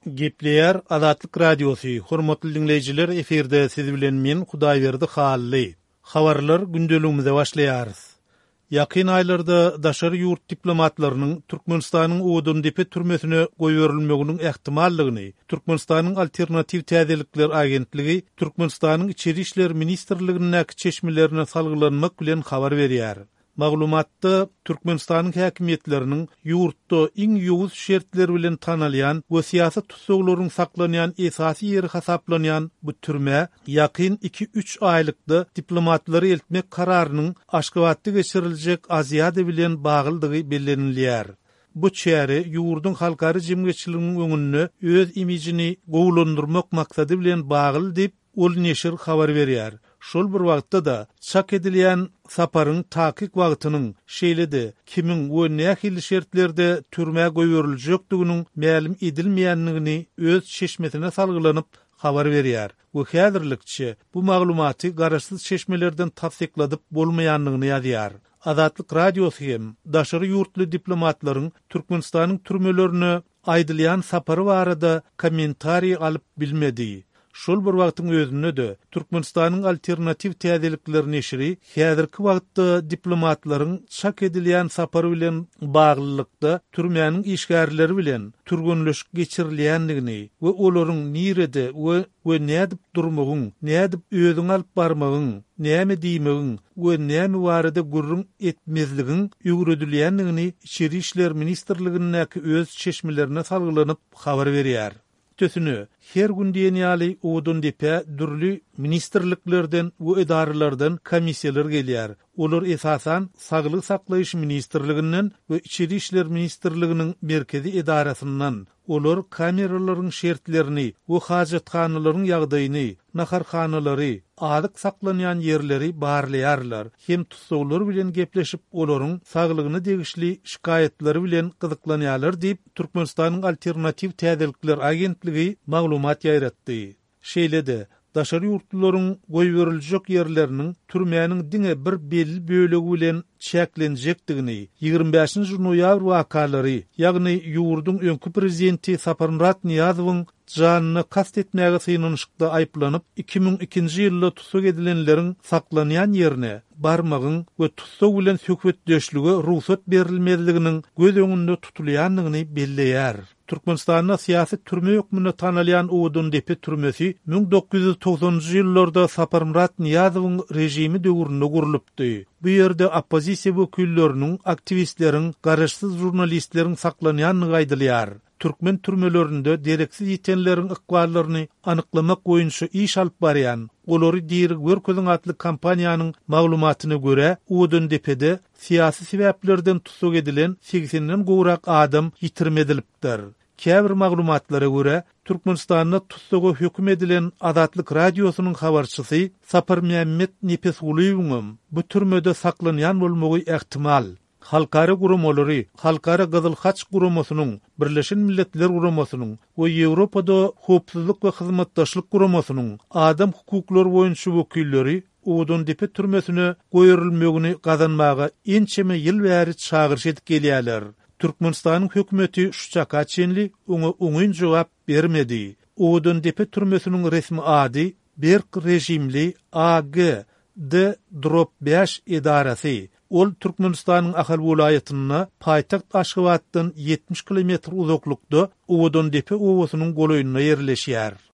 Gepleýär Azatlyk Radiosy, hormatly diňleýjiler efirde siz bilen men Hudaýberdi Hally. Habarlar gündeligimize başlaýarys. Ýakyn aýlarda daşary ýurt diplomatlarynyň Türkmenistanyň Owadandepe türmesine goýberilmeginiň ähtimallygyny Türkmenistanyň Alternatiw täzelikler agentligi Türkmenistanyň Içeri işler ministrligindäki çeşmelerine salgylanmak bilen habar berýär. Maglumatda Türkmenistanyň häkimiýetleriniň ýurtda iň ýowuz şertler bilen tanalýan we syýasy tussaglaryň saklanýan esasy ýeri hasaplanýan bu türmä ýakyn iki-üç aýlykda diplomatlary eltmek kararynyň Aşgabatda geçiriljek Aziada bilen baglydygy bellenilýär. Bu çäre ýurduň halkara jemgyýetçiliginiň öňünde öz imijini gowulandyrmak maksady bilen bagly diýip, Ol neşir habar berýär. Şol bir wagtda-da, çak edilýän saparyň takyk wagtynyň, şeýle-de, kimiň we nähili şertlerde türmä goýberiljekdiginiň mälim edilmeýändigini öz çeşmesine salgylanyp habar berýär we häzirlikçe bu maglumaty garaşsyz çeşmelerden tassykladyp bolmaýandygyny ýazýar. Azatlyk Radiosy hem daşary ýurtly diplomatlaryň Türkmenistanyň türmelerine aýdylýan sapary barada kommentariý alyp bilmedi. Şol bir wagtyň özünde-de, Türkmenistanyň Alternatiw täzelikler neşiri häzirki wagtda diplomatlaryň çak edilýän sapary bilen baglylykda türmäniň işgärleri bilen türgenleşik geçirilýändigini we olaryň nirede we we nädip durmagyň, nädip özüňi alyp barmagyň, näme diýmegiň we näme barada gürrüň etmezligiň öwredilýändigini Içeri işler ministrligindäki öz çeşmelerine salgylanyp habar berýär. Üstesine, her gün diýen ýaly Owadandepä dürli ministrliklerden we edaralardan komissiýalar gelýär. Olar esasan Saglygy saklaýyş ministrliginden we Içeri işler ministrliginiň merkezi edarasyndan, Olar kameralaryň şertlerini we hajathanalaryň ýagdaýyny, naharhanalary, azyk saklanýan ýerleri barlaýarlar hem tussaglar bilen gepleşip, olaryň saglygyna degişli şikaýatlary bilen gyzyklanýarlar diýip, Türkmenistanyň Alternatiw täzelikler agentligi maglumat ýaýratdy. Şeýle-de, daşary ýurtlularyň goýberiljek ýerleriniň türmäniň diňe bir belli bölegi bilen çäklenjekdigini, 25 nji noýabr wakalary, ýagny ýurduň öňki prezidenti Saparmyrat Nyýazowyň janyna kast etmäge synanyşykda aýyplanyp, 2002-nji ýylda tussag edilenleriň saklanýan ýerine barmagyň we tussag bilen söhbetdeşlige rugsat berilmezliginiň göz öňünde tutulýandygyny belleýär. Türkmenistanda syýasy türme hökmünde tanalýan Owadandepe türmesi 1990-njy ýyllarda Saparmyrat Nyýazowyň režimi döwründe gurlupdy. Bu ýerde oppozisiýa wekilleriniň, aktiwistleriň, garaşsyz žurnalistleriň saklanýandygy aýdylýar. Türkmen türmelerinde dereksiz ýitenleriň ykballaryny anyklamak boýunça iş alyp barýan Olary diri görkeziň atly kampaniýanyň maglumatyna görä, Owadandepede Syýasy sebäplerden tussag edilen segsenden gowrak adam ýitirim edilipdir. Käbir maglumatlara görä, Türkmenistanda tussaga höküm edilen Azatlyk Radiosynyň habarçysy Saparmämmet Nepesgulyýewiňem bu türmede saklanýan bolmagy ähtimal. Halkara guramalary, Halkara Gyzyl Haç Guramasynyň, Birleşen Milletler Guramasynyň we Ýewropada Howpsuzlyk we Hyzmatdaşlyk Guramasynyň adam hukuklary boýunça wekilleri Owadandepe türmesine goýberilmegini gazanmaga ençeme ýyl bäri çagyryş edip gelýärler. Türkmenistanyň hökümeti şu çaka çenli oňa oňyn jogap bermedi. Owadandepe türmesiniň resmi ady Berk režimli AG, D drop bäş edarasy. Ol Türkmenistanyň Ahal welaýatynda, paýtagt Aşgabatdan 70 kilometr uzaklykda Owadandepe obasynyň golaýynda ýerleşýär.